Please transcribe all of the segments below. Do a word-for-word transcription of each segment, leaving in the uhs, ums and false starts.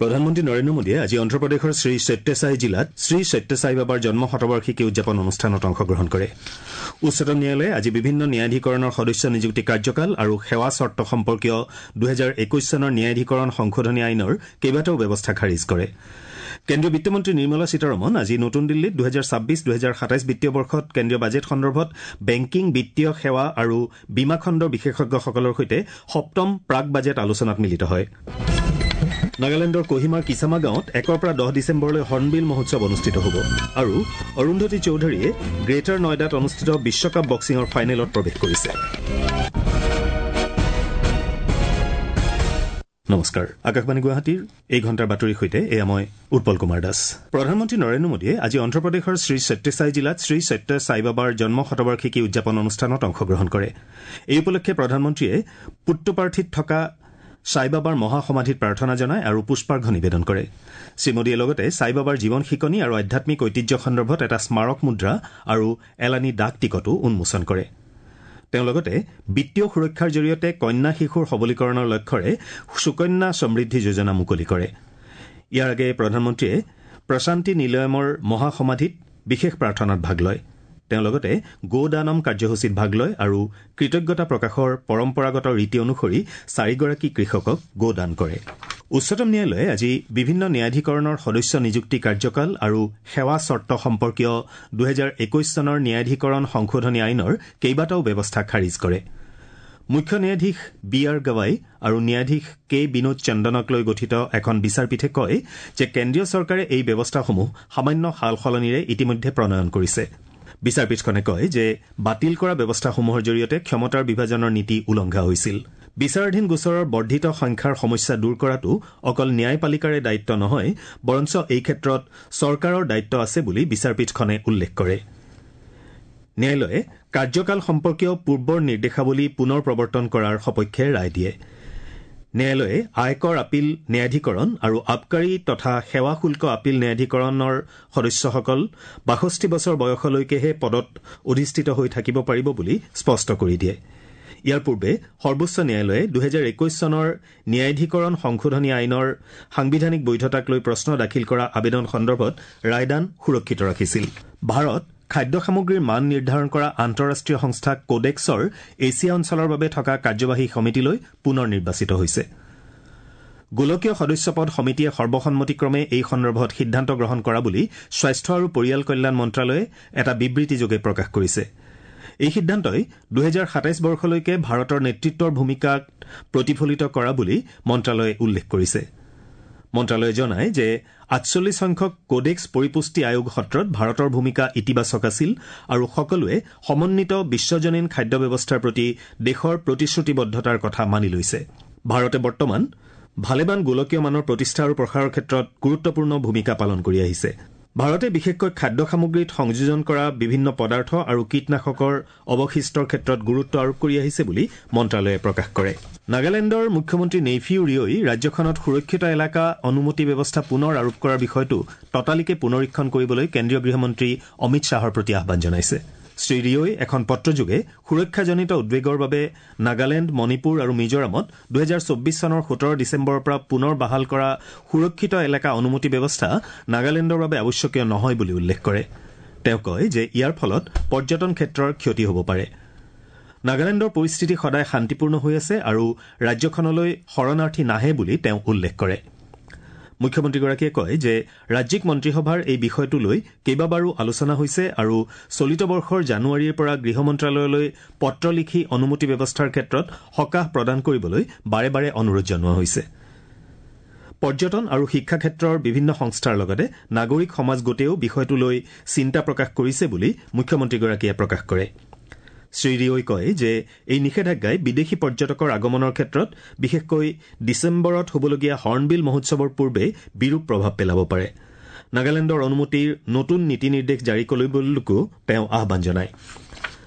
প্ৰধানমন্ত্ৰী নৰেন্দ্ৰ মোদীয়ে আজি অন্ধ্ৰপ্ৰদেশৰ শ্ৰী সত্যসাই জিলাত শ্ৰী সত্যসাই বাবাৰ জন্ম শতবাৰ্ষিকী উদযাপন অনুষ্ঠানত অংশগ্ৰহণ কৰে। উচ্চতম ন্যায়ালয়ে আজি বিভিন্ন ন্যায়াধীকৰণৰ সদস্য নিযুক্তি কাৰ্যকাল আৰু সেৱা চৰ্ত সম্পৰ্কীয় দুহেজাৰ একৈশ চনৰ ন্যায়াধীকৰণ সংশোধনী আইনৰ কেইবাটাও ব্যৱস্থা খাৰিজ কৰে। কেন্দ্ৰীয় বিত্তমন্ত্ৰী নিৰ্মলা সীতাৰমণ আজি নতুন দিল্লীত দুহেজাৰ ছাব্বিছ দুহেজাৰ সাতাইছ বিত্তীয় বৰ্ষত কেন্দ্ৰীয় বাজেট সন্দৰ্ভত বেংকিং, বিত্তীয় সেৱা আৰু বীমা খণ্ডৰ বিশেষজ্ঞসকলৰ সৈতে সপ্তম প্ৰাক বাজেট আলোচনাত মিলিত হয়। নাগালেণ্ডৰ কহিমাৰ কিচামা গাঁৱত একৰ পৰা দহ ডিচেম্বৰলৈ হৰ্ণবিল মহোৎসৱ অনুষ্ঠিত হ'ব আৰু অৰুন্ধতী চৌধুৰীয়ে গ্ৰেটাৰ নয়ডাত অনুষ্ঠিত বিশ্বকাপ বক্সিঙৰ ফাইনেলত প্ৰৱেশ কৰিছে। নমস্কাৰ, আকাশবাণী গুৱাহাটীৰ এই ঘণ্টাৰ বাতৰিৰ সৈতে এয়া মই উৎপল কুমাৰ দাস। প্ৰধানমন্ত্ৰী নৰেন্দ্ৰ মোদীয়ে আজি অন্ধ্ৰপ্ৰদেশৰ শ্ৰী সত্যসাই জিলাত শ্ৰী সত্য সাই বাবাৰ জন্ম শতবাৰ্ষিকী উদযাপন অনুষ্ঠানত অংশগ্ৰহণ কৰে। এই উপলক্ষে প্ৰধানমন্ত্ৰীয়ে পুট্টপাৰ্থীত থকা সাইবাবাৰ মহাসমাধিত প্ৰাৰ্থনা জনায় আৰু পুষ্পাৰ্ঘ নিবেদন কৰে। শ্ৰীমোদীয়ে লগতে সাইবাবাৰ জীৱন শিকনি আৰু আধ্যাত্মিক ঐতিহ্য সন্দৰ্ভত এটা স্মাৰক মুদ্ৰা আৰু এলানি ডাক টিকটো উন্মোচন কৰে। তেওঁ লগতে বিত্তীয় সুৰক্ষাৰ জৰিয়তে কন্যা শিশুৰ সবলীকৰণৰ লক্ষ্যৰে সুকন্যা সমৃদ্ধি যোজনা মুকলি কৰে। ইয়াৰ আগেয়ে প্ৰধানমন্ত্ৰীয়ে প্ৰশান্তি নিলয়মৰ মহাসমাধিত বিশেষ প্ৰাৰ্থনাত ভাগ লয়। তেওঁ লগতে গোদানম কাৰ্যসূচীত ভাগ লয় আৰু কৃতজ্ঞতা প্ৰকাশৰ পৰম্পৰাগত ৰীতি অনুসৰি চাৰিগৰাকী কৃষকক গোদান কৰে। উচ্চতম ন্যায়ালয়ে আজি বিভিন্ন ন্যায়াধীকৰণৰ সদস্য নিযুক্তি কাৰ্যকাল আৰু সেৱা চৰ্ত সম্পৰ্কীয় দুহেজাৰ একৈশ চনৰ ন্যায়াধীকৰণ সংশোধনী আইনৰ কেইবাটাও ব্যৱস্থা খাৰিজ কৰে। মুখ্য ন্যায়াধীশ বি আৰ গাৱাই আৰু ন্যায়াধীশ কে বিনোদ চন্দনক লৈ গঠিত এখন বিচাৰপীঠে কয় যে কেন্দ্ৰীয় চৰকাৰে এই ব্যৱস্থাসমূহ সামান্য সাল সলনিৰে ইতিমধ্যে প্ৰণয়ন কৰিছে। বিচাৰপীঠখনে কয় যে বাতিল কৰা ব্যৱস্থাসমূহৰ জৰিয়তে ক্ষমতাৰ বিভাজনৰ নীতি উলংঘা হৈছিল। বিচাৰাধীন গোচৰৰ বৰ্ধিত সংখ্যাৰ সমস্যা দূৰ কৰাটো অকল ন্যায়পালিকাৰে দায়িত্ব নহয়, বৰঞ্চ এই ক্ষেত্ৰত চৰকাৰৰ দায়িত্ব আছে বুলি বিচাৰপীঠখনে উল্লেখ কৰে। ন্যায়ালয়ে কাৰ্যকাল সম্পৰ্কীয় পূৰ্বৰ নিৰ্দেশাৱলী পুনৰ প্ৰৱৰ্তন কৰাৰ সপক্ষে ৰায় দিয়ে। ন্যায়ালয়ে আয়কৰ আপীল ন্যায়াধীকৰণ আৰু আবকাৰী তথা সেৱা শুল্ক আপীল ন্যায়াধীকৰণৰ সদস্যসকল বাষষ্ঠি বছৰ বয়সলৈকেহে পদত অধিষ্ঠিত হৈ থাকিব পাৰিব বুলি স্পষ্ট কৰি দিয়ে। ইয়াৰ পূৰ্বে সৰ্বোচ্চ ন্যায়ালয়ে দুহেজাৰ একৈশ চনৰ ন্যায়াধীকৰণ সংশোধনী আইনৰ সাংবিধানিক বৈধতাক লৈ প্ৰশ্ন দাখিল কৰা আবেদন সন্দৰ্ভত ৰায়দান সুৰক্ষিত ৰাখিছিল। ভাৰত খাদ্য সামগ্ৰীৰ মান নিৰ্ধাৰণ কৰা আন্তঃৰাষ্ট্ৰীয় সংস্থা কোডেক্সৰ এছিয়া অঞ্চলৰ বাবে থকা কাৰ্যবাহী সমিতিলৈ পুনৰ নিৰ্বাচিত হৈছে। গোলকীয় সদস্যপদ সমিতিয়ে সৰ্বসন্মতিক্ৰমে এই সন্দৰ্ভত সিদ্ধান্ত গ্ৰহণ কৰা বুলি স্বাস্থ্য আৰু পৰিয়াল কল্যাণ মন্ত্ৰালয়ে এটা বিবৃতিযোগে প্ৰকাশ কৰিছে। এই সিদ্ধান্তই দুহেজাৰ সাতাইছ বৰ্ষলৈকে ভাৰতৰ নেতৃত্বৰ ভূমিকাক প্ৰতিফলিত কৰা বুলি মন্ত্ৰালয়ে উল্লেখ কৰিছে। মন্ত্ৰালয়ে জনায় যে আঠচল্লিছ সংখ্যক কোডেক্স পৰিপুষ্টি আয়োগ সত্ৰত ভাৰতৰ ভূমিকা ইতিবাচক আছিল আৰু সকলোৱে সমন্বিত বিশ্বজনীন খাদ্য ব্যৱস্থাৰ প্ৰতি দেশৰ প্ৰতিশ্ৰুতিবদ্ধতাৰ কথা মানি লৈছে। ভাৰতে বৰ্তমান ভালেমান গোলকীয় মানৰ প্ৰতিষ্ঠা আৰু প্ৰসাৰৰ ক্ষেত্ৰত গুৰুত্বপূৰ্ণ ভূমিকা পালন কৰি আহিছে। ভাৰতে বিশেষকৈ খাদ্য সামগ্ৰীত সংযোজন কৰা বিভিন্ন পদাৰ্থ আৰু কীটনাশকৰ অৱশিষ্টৰ ক্ষেত্ৰত গুৰুত্ব আৰোপ কৰি আহিছে বুলি মন্ত্ৰালয়ে প্ৰকাশ কৰে। নাগালেণ্ডৰ মুখ্যমন্ত্ৰী নেইফিউ ৰিঅই ৰাজ্যখনত সুৰক্ষিত এলেকা অনুমতি ব্যৱস্থা পুনৰ আৰোপ কৰাৰ বিষয়টো ততালিকে পুনৰীক্ষণ কৰিবলৈ কেন্দ্ৰীয় গৃহমন্ত্ৰী অমিত শ্বাহৰ প্ৰতি আহ্বান জনাইছে। শ্ৰী ৰিঅই এখন পত্ৰযোগে সুৰক্ষাজনিত উদ্বেগৰ বাবে নাগালেণ্ড, মণিপুৰ আৰু মিজোৰামত দুহেজাৰ চৌব্বিছ চনৰ সোতৰ ডিচেম্বৰৰ পৰা পুনৰ বাহাল কৰা সুৰক্ষিত এলেকা অনুমতি ব্যৱস্থা নাগালেণ্ডৰ বাবে আৱশ্যকীয় নহয় বুলি উল্লেখ কৰে। তেওঁ কয় যে ইয়াৰ ফলত পৰ্যটন ক্ষেত্ৰৰ ক্ষতি হ'ব পাৰে। নাগালেণ্ডৰ পৰিস্থিতি সদায় শান্তিপূৰ্ণ হৈ আছে আৰু ৰাজ্যখনলৈ শৰণাৰ্থী নাহে বুলি তেওঁ উল্লেখ কৰে। মুখ্যমন্ত্ৰীগৰাকীয়ে কয় যে ৰাজ্যিক মন্ত্ৰীসভাৰ এই বিষয়টো লৈ কেইবাবাৰো আলোচনা হৈছে আৰু চলিত বৰ্ষৰ জানুৱাৰীৰ পৰা গৃহ মন্ত্ৰালয়লৈ পত্ৰ লিখি অনুমতি ব্যৱস্থাৰ ক্ষেত্ৰত সকাহ প্ৰদান কৰিবলৈ বাৰে বাৰে অনুৰোধ জনোৱা হৈছে। পৰ্যটন আৰু শিক্ষা ক্ষেত্ৰৰ বিভিন্ন সংস্থাৰ লগতে নাগৰিক সমাজ গোটেও বিষয়টো লৈ চিন্তা প্ৰকাশ কৰিছে বুলি মুখ্যমন্ত্ৰীগৰাকীয়ে প্ৰকাশ কৰে। শ্ৰী ৰিঅই কয় যে এই নিষেধাজ্ঞাই বিদেশী পৰ্যটকৰ আগমনৰ ক্ষেত্ৰত বিশেষকৈ ডিচেম্বৰত হ'বলগীয়া হৰ্ণবিল মহোৎসৱৰ পূৰ্বে বিৰূপ প্ৰভাৱ পেলাব পাৰে। নাগালেণ্ডৰ অনুমতিৰ নতুন নীতি নিৰ্দেশ জাৰি কৰিবলৈকো তেওঁ আহ্বান জনায়।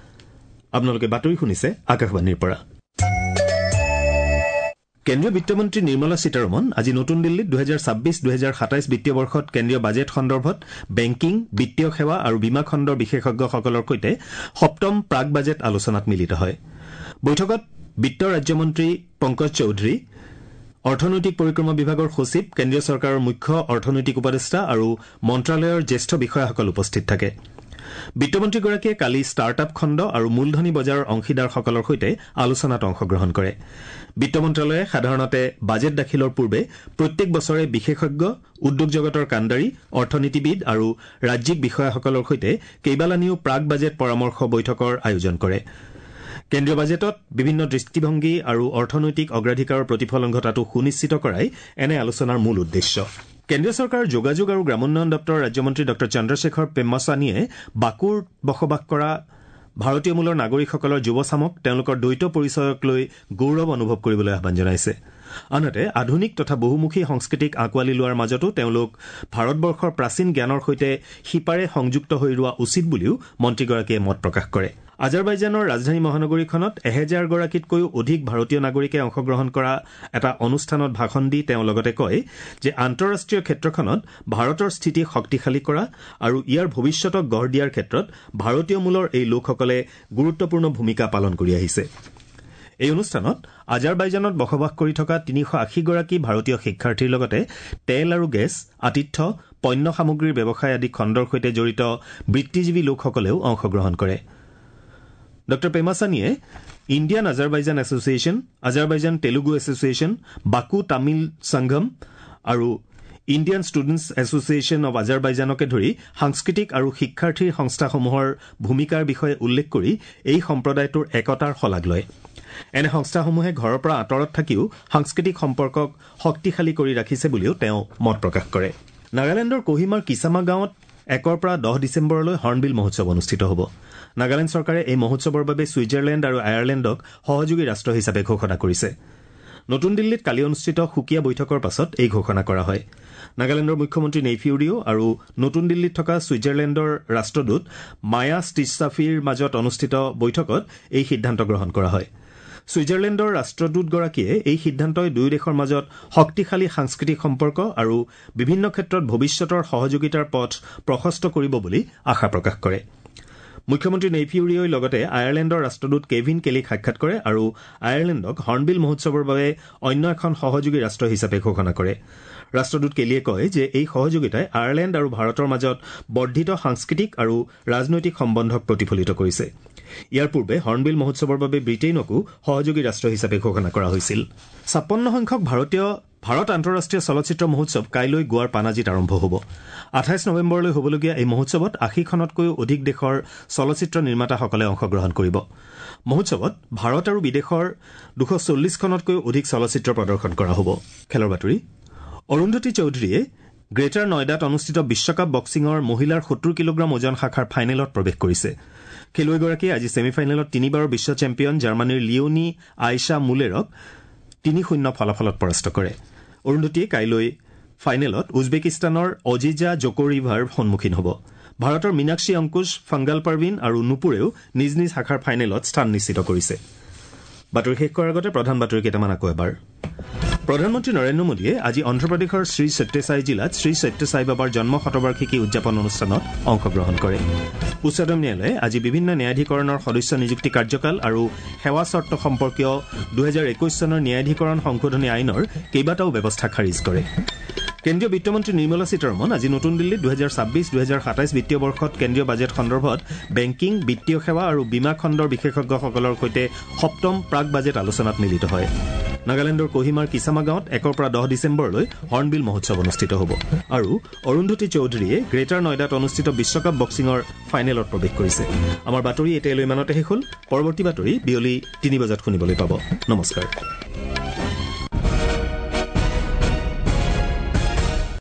আপোনালোকে বাতৰি শুনিছে আকাশবাণীৰ পৰা। কেন্দ্ৰীয় বিত্তমন্ত্ৰী নিৰ্মলা সীতাৰমণ আজি নতুন দিল্লীত দুহেজাৰ ছাব্বিছ দুহেজাৰ সাতাইছ বিত্তীয় বৰ্ষত কেন্দ্ৰীয় বাজেট সন্দৰ্ভত বেংকিং, বিত্তীয় সেৱা আৰু বীমা খণ্ডৰ বিশেষজ্ঞসকলৰ সৈতে সপ্তম প্ৰাক বাজেট আলোচনাত মিলিত হয়। বৈঠকত বিত্ত ৰাজ্যমন্ত্ৰী পংকজ চৌধুৰী, অৰ্থনৈতিক পৰিক্ৰমা বিভাগৰ সচিব, কেন্দ্ৰীয় চৰকাৰৰ মুখ্য অৰ্থনৈতিক উপদেষ্টা আৰু মন্ত্ৰালয়ৰ জ্যেষ্ঠ বিষয়াসকল উপস্থিত থাকে। বিত্তমন্ত্ৰীগৰাকীয়ে কালি ষ্টাৰ্ট আপ খণ্ড আৰু মূলধনী বজাৰৰ অংশীদাৰসকলৰ সৈতে আলোচনাত অংশগ্ৰহণ কৰে। বিত্ত মন্ত্ৰালয়ে সাধাৰণতে বাজেট দাখিলৰ পূৰ্বে প্ৰত্যেক বছৰে বিশেষজ্ঞ, উদ্যোগ জগতৰ কাণ্ডাৰী, অৰ্থনীতিবিদ আৰু ৰাজ্যিক বিষয়াসকলৰ সৈতে কেইবালানিও প্ৰাক বাজেট পৰামৰ্শ বৈঠকৰ আয়োজন কৰে। কেন্দ্ৰীয় বাজেটত বিভিন্ন দৃষ্টিভংগী আৰু অৰ্থনৈতিক অগ্ৰাধিকাৰৰ প্ৰতিফলন ঘটাটো সুনিশ্চিত কৰাই এনে আলোচনাৰ মূল উদ্দেশ্য। কেন্দ্ৰীয় চৰকাৰৰ যোগাযোগ আৰু গ্ৰামোন্নয়ন দপ্তৰৰ ৰাজ্যমন্ত্ৰী ডঃ চন্দ্ৰশেখৰ পেম্মাছানীয়ে বাকুত বসবাস কৰা ভাৰতীয় মূলৰ নাগৰিকসকলৰ যুৱচামক তেওঁলোকৰ দ্বৈত পৰিচয়ক লৈ গৌৰৱ অনুভৱ কৰিবলৈ আহ্বান জনাইছে। আনহাতে আধুনিক তথা বহুমুখী সংস্কৃতিক আঁকোৱালি লোৱাৰ মাজতো তেওঁলোক ভাৰতবৰ্ষৰ প্ৰাচীন জ্ঞানৰ সৈতে শিপাৰে সংযুক্ত হৈ ৰোৱা উচিত বুলিও মন্ত্ৰীগৰাকীয়ে মত প্ৰকাশ কৰে। আজাৰবাইজানৰ ৰাজধানী মহানগৰীখনত এহেজাৰগৰাকীতকৈও অধিক ভাৰতীয় নাগৰিকে অংশগ্ৰহণ কৰা এটা অনুষ্ঠানত ভাষণ দি তেওঁ লগতে কয় যে আন্তঃৰাষ্ট্ৰীয় ক্ষেত্ৰখনত ভাৰতৰ স্থিতি শক্তিশালী কৰা আৰু ইয়াৰ ভৱিষ্যতক গঢ় দিয়াৰ ক্ষেত্ৰত ভাৰতীয় মূলৰ এই লোকসকলে গুৰুত্বপূৰ্ণ ভূমিকা পালন কৰি আহিছে। এই অনুষ্ঠানত আজাৰবাইজানত বসবাস কৰি থকা তিনিশ আশীগৰাকী ভাৰতীয় শিক্ষাৰ্থীৰ লগতে তেল আৰু গেছ, আতিথ্য, পণ্য সামগ্ৰীৰ ব্যৱসায় আদি খণ্ডৰ সৈতে জড়িত বৃত্তিজীৱী লোকসকলেও অংশগ্ৰহণ কৰে। ডঃ পেমাছানীয়ে Indian Azerbaijan association, Azerbaijan Telugu association, Baku Tamil Sangam আৰু ইণ্ডিয়ান ষ্টুডেণ্টছ এছ'চিয়েশ্যন অৱ আজাৰবাইজানকে ধৰি সাংস্কৃতিক আৰু শিক্ষাৰ্থীৰ সংস্থাসমূহৰ ভূমিকাৰ বিষয়ে উল্লেখ কৰি এই সম্প্ৰদায়টোৰ একতাৰ শলাগ লয়। এনে সংস্থাসমূহে ঘৰৰ পৰা আঁতৰত থাকিও সাংস্কৃতিক সম্পৰ্কক শক্তিশালী কৰি ৰাখিছে বুলিও তেওঁ মত প্ৰকাশ কৰে। নাগালেণ্ডৰ কোহিমাৰ কিচামা গাঁৱত একৰ পৰা দহ ডিচেম্বৰলৈ হৰ্ণবিল মহোৎসৱ অনুষ্ঠিত হ'ব। নাগালেণ্ড চৰকাৰে এই মহোৎসৱৰ বাবে ছুইজাৰলেণ্ড আৰু আয়াৰলেণ্ডক সহযোগী ৰাষ্ট্ৰ হিচাপে ঘোষণা কৰিছে। নতুন দিল্লীত কালি অনুষ্ঠিত সুকীয়া বৈঠকৰ পাছত এই ঘোষণা কৰা হয়। নাগালেণ্ডৰ মুখ্যমন্ত্ৰী নেইফিউ ৰিঅ আৰু নতুন দিল্লীত থকা ছুইজাৰলেণ্ডৰ ৰাষ্ট্ৰদূত মায়া ষ্টিছাফিৰ মাজত অনুষ্ঠিত বৈঠকত এই সিদ্ধান্ত গ্ৰহণ কৰা হয়। ছুইজাৰলেণ্ডৰ ৰাষ্ট্ৰদূতগৰাকীয়ে এই সিদ্ধান্তই দুয়ো দেশৰ মাজত শক্তিশালী সাংস্কৃতিক সম্পৰ্ক আৰু বিভিন্ন ক্ষেত্ৰত ভৱিষ্যতৰ সহযোগিতাৰ পথ প্ৰশস্ত কৰিব বুলি আশা প্ৰকাশ কৰে। মুখ্যমন্ত্ৰী নেইফিউ ৰিঅই লগতে আয়াৰলেণ্ডৰ ৰাষ্ট্ৰদূত কেভিন কেলিক সাক্ষাৎ কৰে আৰু আয়াৰলেণ্ডক হৰ্ণবিল মহোৎসৱৰ বাবে অন্য এখন সহযোগী ৰাষ্ট্ৰ হিচাপে ঘোষণা কৰে। ৰাষ্ট্ৰদূত কেলিয়ে কয় যে এই সহযোগিতাই আয়াৰলেণ্ড আৰু ভাৰতৰ মাজত বৰ্ধিত সাংস্কৃতিক আৰু ৰাজনৈতিক সম্বন্ধক প্ৰতিফলিত কৰিছে। ইয়াৰ পূৰ্বে হৰ্ণবিল মহোৎসৱৰ বাবে ব্ৰিটেইনকো সহযোগী ৰাষ্ট্ৰ হিচাপে ঘোষণা কৰা হৈছিল। ছাপন্ন সংখ্যক ভাৰতীয় ভাৰত আন্তঃৰাষ্ট্ৰীয় চলচ্চিত্ৰ মহোৎসৱ কাইলৈ গোৱাৰ পানাজীত আৰম্ভ হ'ব। আঠাইছ নৱেম্বৰলৈ হ'বলগীয়া এই মহোৎসৱত আশীখনতকৈও অধিক দেশৰ চলচ্চিত্ৰ নিৰ্মাতাসকলে অংশগ্ৰহণ কৰিব। মহোৎসৱত ভাৰত আৰু বিদেশৰ দুশ চল্লিছখনতকৈও অধিক চলচ্চিত্ৰ প্ৰদৰ্শন কৰা হ'ব। খেলৰ বাতৰি। অৰুন্ধতী চৌধুৰীয়ে গ্ৰেটাৰ নয়ডাত অনুষ্ঠিত বিশ্বকাপ বক্সিঙৰ মহিলাৰ সত্তৰ কিলোগ্ৰাম ওজন শাখাৰ ফাইনেলত প্ৰৱেশ কৰিছে। খেলুৱৈগৰাকীয়ে আজি ছেমি ফাইনেলত তিনিবাৰৰ বিশ্ব চেম্পিয়ন জাৰ্মানীৰ লিঅনি আইছা মুলেৰক তিনি শূন্য ফলাফলত পৰাস্ত কৰে। অৰুন্ধতীয়ে কাইলৈ ফাইনেলত উজবেকিস্তানৰ অজিজা জকৰিভাৰ সন্মুখীন হ'ব। ভাৰতৰ মীনাক্ষী অংকুশ, ফাংগাল পাৰভিন আৰু নুপুৰেও নিজ নিজ শাখাৰ ফাইনেলত স্থান নিশ্চিত কৰিছে। বাতৰি শেষ কৰাৰ আগতে প্ৰধান বাতৰি কেইটামান আকৌ এবাৰ। প্ৰধানমন্ত্ৰী নৰেন্দ্ৰ মোদীয়ে আজি অন্ধ্ৰপ্ৰদেশৰ শ্ৰী সত্যসাই জিলাত শ্ৰী সত্যসাই বাবাৰ জন্ম শতবাৰ্ষিকী উদযাপন অনুষ্ঠানত অংশগ্ৰহণ কৰে। উচ্চতম ন্যায়ালয়ে আজি বিভিন্ন ন্যায়াধীকৰণৰ সদস্য নিযুক্তি কাৰ্যকাল আৰু সেৱা চৰ্ত সম্পৰ্কীয় দুহেজাৰ একৈশ চনৰ ন্যায়াধীকৰণ সংশোধনী আইনৰ কেইবাটাও ব্যৱস্থা খাৰিজ কৰে। কেন্দ্ৰীয় বিত্তমন্ত্ৰী নিৰ্মলা সীতাৰমণ আজি নতুন দিল্লীত দুহেজাৰ ছাব্বিছ দুহেজাৰ সাতাইছ বিত্তীয় বৰ্ষত কেন্দ্ৰীয় বাজেট সন্দৰ্ভত বেংকিং, বিত্তীয় সেৱা আৰু বীমা খণ্ডৰ বিশেষজ্ঞসকলৰ সৈতে সপ্তম প্ৰাক বাজেট আলোচনাত মিলিত হয়। নাগালেণ্ডৰ কোহিমাৰ কিচামা গাঁৱত একৰ পৰা দহ ডিচেম্বৰলৈ হৰ্ণবিল মহোৎসৱ অনুষ্ঠিত হ'ব। আৰু অৰুন্ধতী চৌধুৰীয়ে গ্ৰেটাৰ নয়ডাত অনুষ্ঠিত বিশ্বকাপ বক্সিঙৰ ফাইনেলত প্ৰৱেশ কৰিছে। আমাৰ বাতৰি এতিয়ালৈ ইমানতে শেষ হ'ল। পৰৱৰ্তী বাতৰি বিয়লি তিনি বজাত শুনিবলৈ পাব। নমস্কাৰ।